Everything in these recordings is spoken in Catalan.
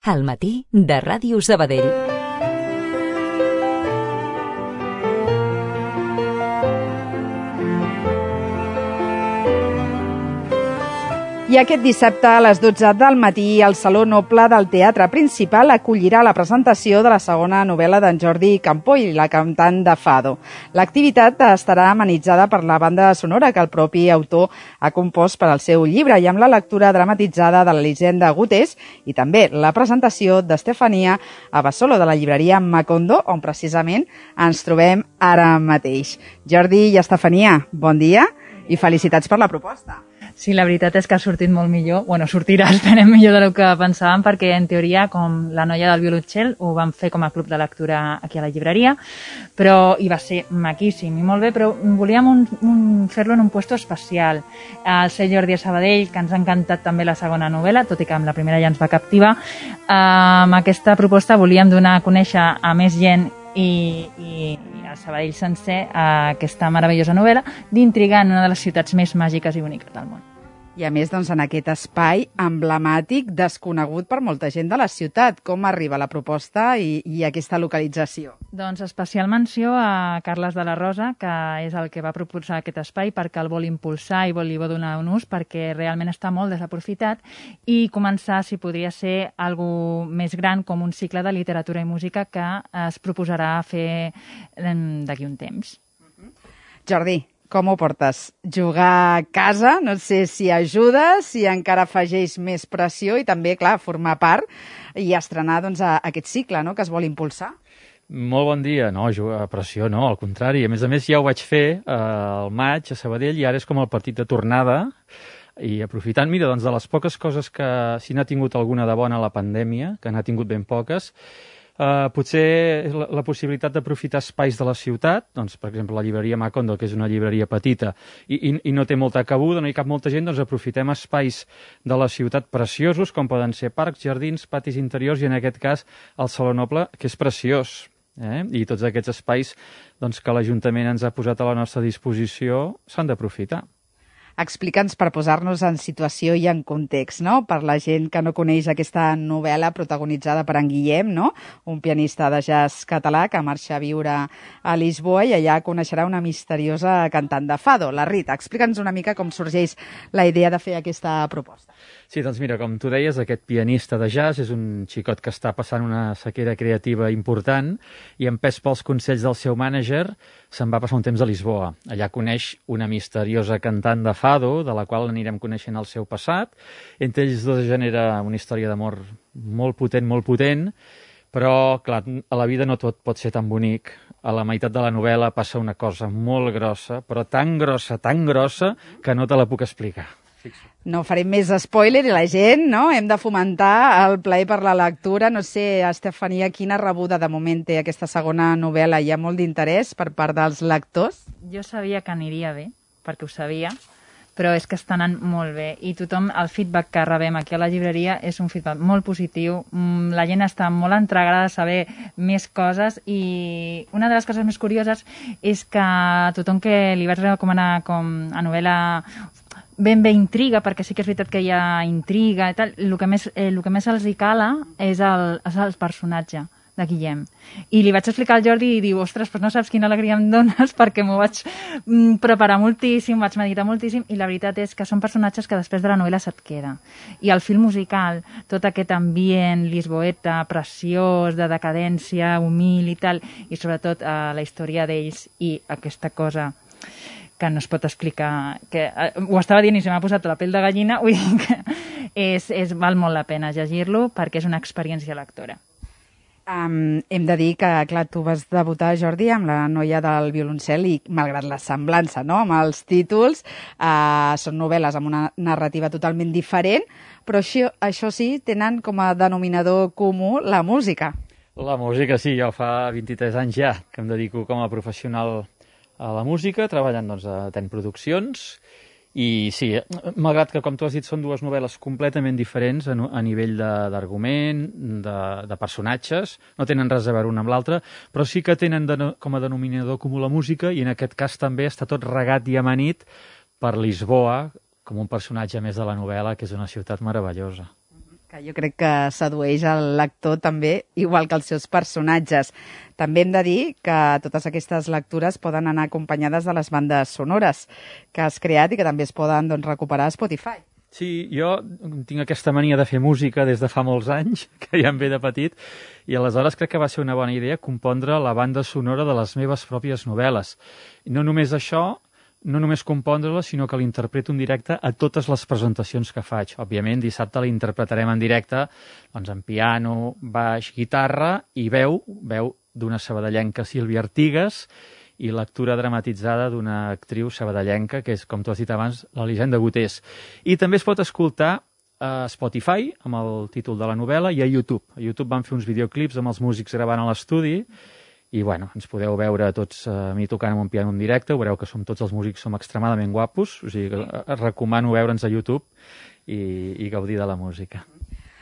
Al matí de Ràdio Sabadell. I aquest dissabte a les 12 del matí el Saló Noble del Teatre Principal acollirà la presentació de la segona novel·la d'en Jordi Campoy, La cantant de Fado. L'activitat estarà amenitzada per la banda sonora que el propi autor ha compost per al seu llibre i amb la lectura dramatitzada de l'Elisenda Gutés i també la presentació d'Estefania a Basolo de la llibreria Macondo, on precisament ens trobem ara mateix. Jordi i Estefania, bon dia i felicitats per la proposta. Sí, la veritat és que ha sortit molt millor. Bueno, sortirà, esperem, millor del que pensàvem, perquè en teoria, com La noia del violoncel, ho vam fer com a club de lectura aquí a la llibreria, però hi va ser maquíssim i molt bé, però volíem fer-lo en un puesto especial. El ser Jordi a Sabadell, que ens ha encantat també la segona novel·la, tot i que amb la primera ja ens va captivar. Amb aquesta proposta volíem donar a conèixer a més gent i a Sabadell sencer aquesta meravellosa novel·la d'intrigar en una de les ciutats més màgiques i boniques del món. I a més, en aquest espai emblemàtic, desconegut per molta gent de la ciutat. Com arriba la proposta i aquesta localització? Doncs especial menció a Carles de la Rosa, que és el que va proposar aquest espai perquè el vol impulsar i li vol donar un ús perquè realment està molt desaprofitat i començar, si podria ser, algo més gran com un cicle de literatura i música que es proposarà fer d'aquí un temps. Jordi, com ho portes? Jugar a casa, no sé si ajuda, si encara afegeix més pressió i també, clar, formar part i estrenar aquest cicle que es vol impulsar. Molt bon dia. No, jugar a pressió no, al contrari. A més, ja ho vaig fer al maig a Sabadell i ara és com el partit de tornada i aprofitant, mira, de les poques coses que si n'ha tingut alguna de bona la pandèmia, que n'ha tingut ben poques, potser la possibilitat d'aprofitar espais de la ciutat, doncs, per exemple, la llibreria Macondo, que és una llibreria petita i no té molta cabuda, no hi cap molta gent, doncs aprofitem espais de la ciutat preciosos, com poden ser parcs, jardins, patis interiors i en aquest cas el Saló Noble, que és preciós. I tots aquests espais que l'Ajuntament ens ha posat a la nostra disposició s'han d'aprofitar. Explica'ns per posar-nos en situació i en context, no? Per la gent que no coneix aquesta novel·la protagonitzada per en Guillem, no? Un pianista de jazz català que marxa a viure a Lisboa i allà coneixerà una misteriosa cantant de fado, la Rita. Explica'ns una mica com sorgeix la idea de fer aquesta proposta. Sí, doncs mira, com tu deies, aquest pianista de jazz és un xicot que està passant una sequera creativa important i empès pels consells del seu mànager se'n va passar un temps a Lisboa. Allà coneix una misteriosa cantant de fado, de la qual anirem coneixent el seu passat. Entre ells dos genera una història d'amor molt potent, però, clar, a la vida no tot pot ser tan bonic. A la meitat de la novel·la passa una cosa molt grossa, però tan grossa, que no te la puc explicar. No farem més spoiler i la gent, no? Hem de fomentar el plaer per la lectura. No sé, Estefania, quina rebuda de moment té aquesta segona novel·la? Hi ha molt d'interès per part dels lectors? Jo sabia que aniria bé, perquè ho sabia, però és que està anant molt bé i tothom, el feedback que rebem aquí a la llibreria és un feedback molt positiu, la gent està molt entregada a saber més coses i una de les coses més curioses és que tothom que li vaig recomanar com a novel·la ben bé intriga, perquè sí que és veritat que hi ha intriga i tal, el que més els hi cala és el personatge de Guillem. I li vaig explicar al Jordi i diu, ostres, però no saps quina alegria em dones perquè m'ho vaig preparar moltíssim, vaig meditar moltíssim i la veritat és que són personatges que després de la novel·la se't queda. I el fil musical, tot aquest ambient lisboeta, preciós, de decadència, humil i tal, i sobretot la història d'ells i aquesta cosa que no es pot explicar, que ho estava dient i se m'ha posat la pell de gallina, vull dir que val molt la pena llegir-lo perquè és una experiència lectora. Hem de dir que, clar, tu vas debutar, Jordi, amb La noia del violoncel i, malgrat la semblança, no?, amb els títols, són novel·les amb una narrativa totalment diferent, però això sí, tenen com a denominador comú la música. La música, sí, jo fa 23 anys ja que em dedico com a professional a la música, treballant a TEN Produccions, i sí, malgrat que, com tu has dit, són dues novel·les completament diferents a nivell d'argument, de personatges, no tenen res a veure una amb l'altra, però sí que tenen com a denominador comú la música i en aquest cas també està tot regat i amanit per Lisboa, com un personatge més de la novel·la, que és una ciutat meravellosa. Que jo crec que sedueix el lector també, igual que els seus personatges. També hem de dir que totes aquestes lectures poden anar acompanyades de les bandes sonores que has creat i que també es poden recuperar a Spotify. Sí, jo tinc aquesta mania de fer música des de fa molts anys, que ja em ve de petit, i aleshores crec que va ser una bona idea compondre la banda sonora de les meves pròpies novel·les. I no només això, no només compondre-la, sinó que l'interpreto en directe a totes les presentacions que faig. Òbviament, dissabte l'interpretarem en directe doncs, en piano, baix, guitarra i veu d'una sabadellenca, Sílvia Artigas, i lectura dramatitzada d'una actriu sabadellenca, que és, com tu has dit abans, l'Elisenda Gotés. I també es pot escoltar a Spotify, amb el títol de la novel·la, i a YouTube. A YouTube van fer uns videoclips amb els músics gravant a l'estudi, i bueno, ens podeu veure tots a mi tocant amb un piano en directe, veureu que tots els músics som extremadament guapos, o sigui que recomano veure'ns a YouTube i gaudir de la música.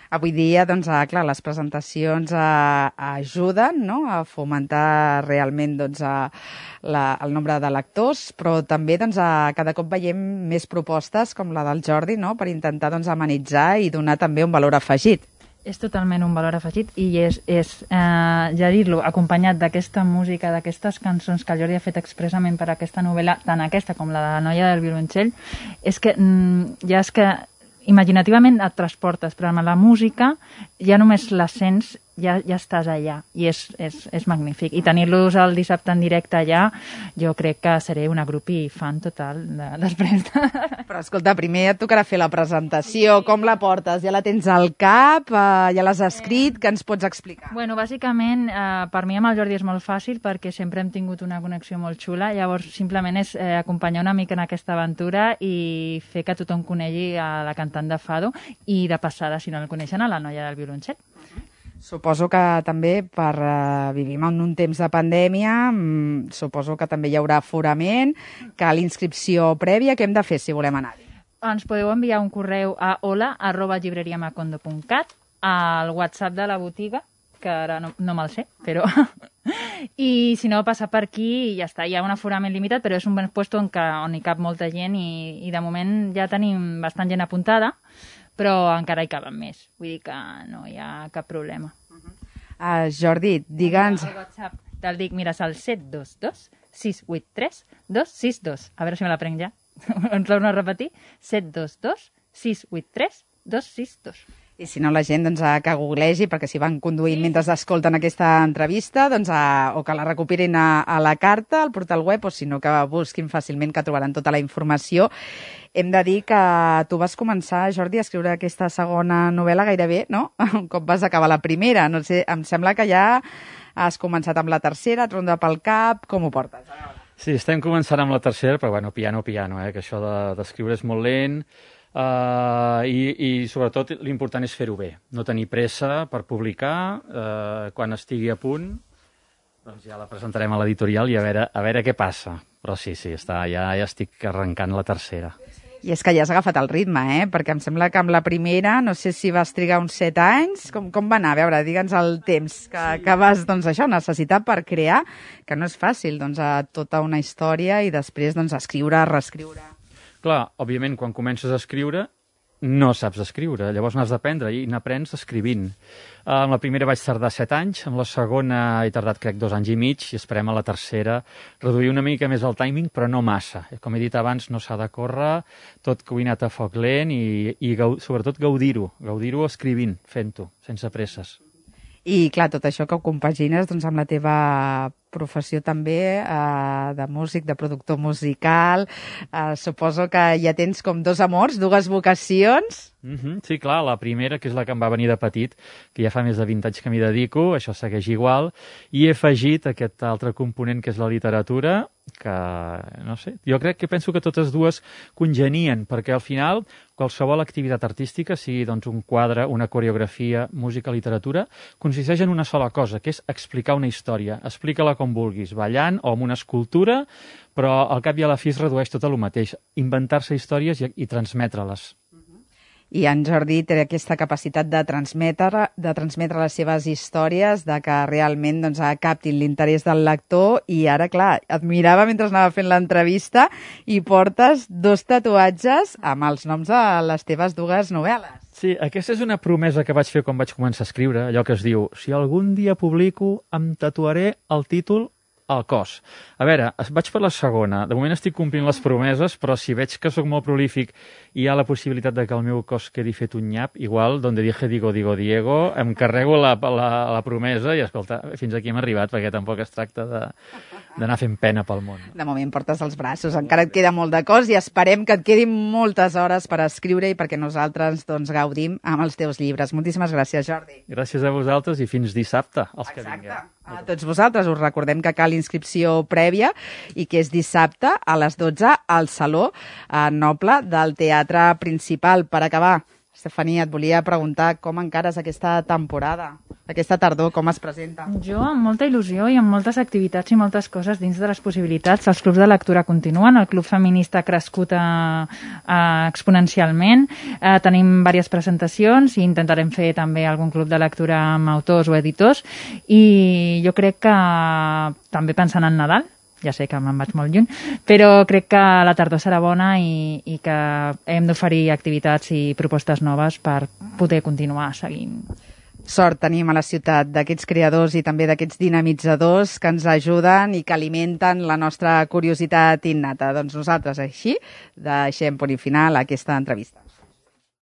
Avui dia, clar, les presentacions ajuden, no?, a fomentar realment el nombre de lectors, però també cada cop veiem més propostes com la del Jordi, no?, per intentar amenitzar i donar també un valor afegit. És totalment un valor afegit i ja dir-lo, acompanyat d'aquesta música, d'aquestes cançons que el Jordi ha fet expressament per a aquesta novel·la, tant aquesta com la de la noia del violoncell, és que imaginativament et transportes, però amb la música ja només la sents, ja estàs allà i és magnífic. I tenir-los el dissabte en directe allà, jo crec que seré una grupi fan total després. Però escolta, primer et tocarà fer la presentació, com la portes? Ja la tens al cap? Ja l'has escrit? Què ens pots explicar? Bueno, bàsicament, per mi amb el Jordi és molt fàcil perquè sempre hem tingut una connexió molt xula, llavors simplement és acompanyar una mica en aquesta aventura i fer que tothom conegui a la cantant de Fado i de passada, si no el coneixen, a la noia del violoncell. Suposo que també vivim en un temps de pandèmia, suposo que també hi haurà aforament, que l'inscripció prèvia, què hem de fer si volem anar-hi? Ens podeu enviar un correu a hola@llibreriamacondo.cat, al WhatsApp de la botiga, que ara no me'l sé, però... I si no, passar per aquí i ja està. Hi ha un aforament limitat, però és un puesto on hi cap molta gent i de moment ja tenim bastant gent apuntada, però encara hi caben més. Vull dir que no hi ha cap problema. Jordi, digue'ns... El WhatsApp te'l dic, mira, és el 722 683 262. A veure si me la prenc ja. Ens l'heu de repetir? 722 683 262. I si no, la gent que googlegi, perquè si van conduint mentre escolten aquesta entrevista, o que la recuperin a la carta, al portal web, o si no, que busquin fàcilment, que trobaran tota la informació. Hem de dir que tu vas començar, Jordi, a escriure aquesta segona novel·la gairebé, no?, un cop vas acabar la primera. No sé, em sembla que ja has començat amb la tercera, et ronda pel cap, com ho portes? Sí, estem començant amb la tercera, però bueno, piano, que això d'escriure és molt lent, i sobretot l'important és fer-ho bé, no tenir pressa per publicar. Quan estigui a punt doncs ja la presentarem a l'editorial i a veure què passa, però sí, ja estic arrencant la tercera. I és que ja has agafat el ritme, perquè em sembla que amb la primera, no sé si vas trigar uns 7 anys, com va anar? A veure, digue'ns el temps que vas necessitar per crear, que no és fàcil, tota una història i després escriure, reescriure. Clar, òbviament, quan comences a escriure, no saps escriure, llavors n'has d'aprendre i n'aprens escrivint. Amb la primera vaig tardar 7 anys, amb la segona he tardat, crec, 2 anys i mig, i esperem a la tercera reduir una mica més el timing, però no massa. Com he dit abans, no s'ha de córrer, tot cuinat a foc lent i sobretot gaudir-ho escrivint, fent-ho, sense presses. I, clar, tot això que ho compagines amb la teva professió també de músic, de productor musical. Suposo que ja tens com 2 amors, 2 vocacions. Sí, clar, la primera, que és la que em va venir de petit, que ja fa més de 20 anys que m'hi dedico, això segueix igual, i he afegit aquest altre component que és la literatura, que, no sé, jo penso que totes dues congenien, perquè al final qualsevol activitat artística, sigui un quadre, una coreografia, música, literatura, consisteix en una sola cosa, que és explicar una història. Explica-la com vulguis, ballant o amb una escultura, però al cap i a la fi es redueix tot a lo mateix, inventar-se històries i transmetre-les. I en Jordi té aquesta capacitat de transmetre les seves històries, de que realment captin l'interès del lector, i ara, clar, et mirava mentre anava fent l'entrevista i portes 2 tatuatges amb els noms de les teves 2 novel·les. Sí, aquesta és una promesa que vaig fer quan vaig començar a escriure, allò que es diu, si algun dia publico, em tatuaré el títol al cos. A veure, vaig per la segona. De moment estic complint les promeses, però si veig que sóc molt prolífic i hi ha la possibilitat de que el meu cos quedi fet un nyap, igual, donde dije digo Diego, em carrego la promesa i, escolta, fins aquí hem arribat, perquè tampoc es tracta d'anar fent pena pel món. De moment portes els braços, encara et queda molt de cos i esperem que et quedin moltes hores per escriure i perquè nosaltres doncs, gaudim amb els teus llibres. Moltíssimes gràcies, Jordi. Gràcies a vosaltres i fins dissabte, els que Exacte. vingueu. A tots vosaltres us recordem que cal inscripció prèvia i que és dissabte a les 12 al Saló Noble del Teatre Principal. Per acabar, Estefania, et volia preguntar com encares aquesta temporada, aquesta tardor, com es presenta? Jo amb molta il·lusió i amb moltes activitats i moltes coses dins de les possibilitats. Els clubs de lectura continuen, el club feminista ha crescut exponencialment, tenim diverses presentacions i intentarem fer també algun club de lectura amb autors o editors i jo crec que també pensant en Nadal, ja sé que me'n vaig molt lluny, però crec que la tardor serà bona i que hem d'oferir activitats i propostes noves per poder continuar seguint. Sort tenim a la ciutat d'aquests creadors i també d'aquests dinamitzadors que ens ajuden i que alimenten la nostra curiositat innata. Doncs nosaltres així deixem punt i final a aquesta entrevista.